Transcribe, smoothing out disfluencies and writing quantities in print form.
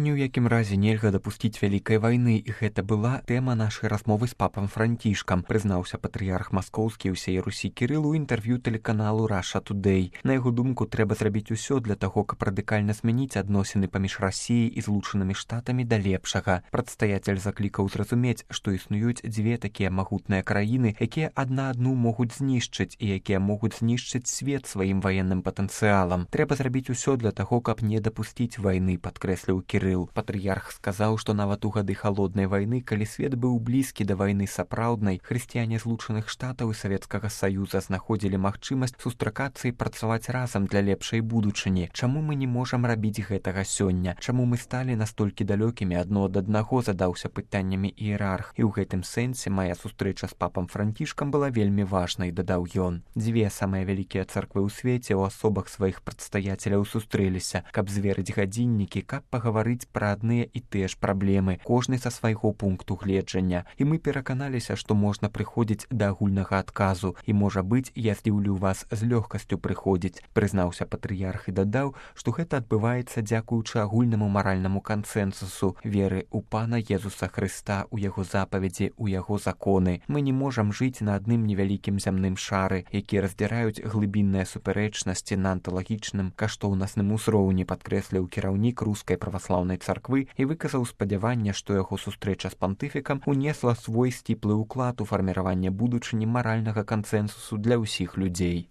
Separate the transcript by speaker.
Speaker 1: Ні ў якім разе нельга дапусціць вялікай вайны, і гэта была тэма нашай размовы з папам Францішкам, прызнаўся патрыярх маскоўскі ўсей Русі Кірыл у інтэрв'ю тэлеканалу Russia Today. На яго думку, трэба зрабіць усё для таго, каб радыкальна змяніць адносіны паміж Расіяй і Злучанымі Штатамі да лепшага. Прадстаяцель заклікаў зразумець, што існуюць дзве такія магутныя краіны, якія адна адну могуць знішчыць і якія могуць знішчыць свет сваім ваенным патэнцыялам. Трэба зрабіць усё для таго, каб не дапусціць вайны, падкрэсліў Кірыл. Патрыярх сказаў, што нават у гады халоднай вайны, калі свет быў блізкі да вайны сапраўднай, хрысціяне Злучаных Штатаў і Савецкага Саюза знаходзілі магчымасць сустракацца і працаваць разам для лепшай будучыні. Чаму мы не можам рабіць гэтага сёння? Чаму мы сталі настолькі далёкімі адно ад аднаго, задаўся пытаннямі іерарх. І ў гэтым сэнсе мая сустрэча з папам Францішкам была вельмі важнай, дадаў ён. Дзве самыя вялікія царквы ў свеце ў асобах сваіх прадстаяцеляў сустрэліся, каб зверыць гадзіннікі, каб пагаварыць пра адныя і тыя ж праблемы, кожны са свайго пункту гледжання. І мы пераканаліся, што можна прыходзіць да агульнага адказу. І, можа быць, я здзіўлю вас з лёгкасцю прыходзіць, прызнаўся патрыярх і дадаў, што гэта адбываецца дзякуючы агульнаму маральнаму кансэнсусу, веры ў Пана Езуса Хрыста, у яго запаведзі, у яго законы. Мы не можам жыць на адным невялікім зямным шары, які раздзіраюць глыбінныя супярэчнасці на анталагічным каштоўнасным узроўні, падкрэсліў кіраўнік рускай праваслаўнай царквы і выказаў спадзяванне, што яго сустрэча з пантыфікам унесла свой сціплы ўклад у фарміраванне будучыні маральнага кансэнсусу для ўсіх людзей.